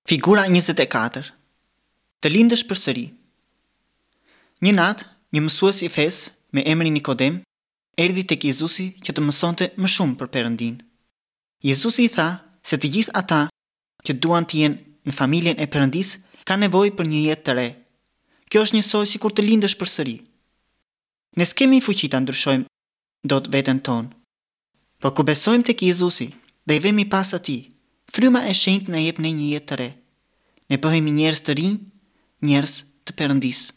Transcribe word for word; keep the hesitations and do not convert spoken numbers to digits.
Figura njëzet e katër. Të lindësh përsëri. Një natë, një mësues i fesë me emrin Nikodem erdhi tek Jezusi që të mësonte më shumë për Perëndinë. Jezusi i tha se të gjithë ata që duan të jenë në familjen e Perëndisë kanë nevojë për një jetë të re. Kjo është njësoj sikur të lindësh përsëri. Ne s'kemi fuqi ta ndryshojmë dot veten tonë. Por kur besojmë tek Jezusi dhe i vemi pas atij, Fryma e Shenjtë na jep ne një jetë të re. Ne bëhemi njerëz të rinj, njerëz të Perëndisë.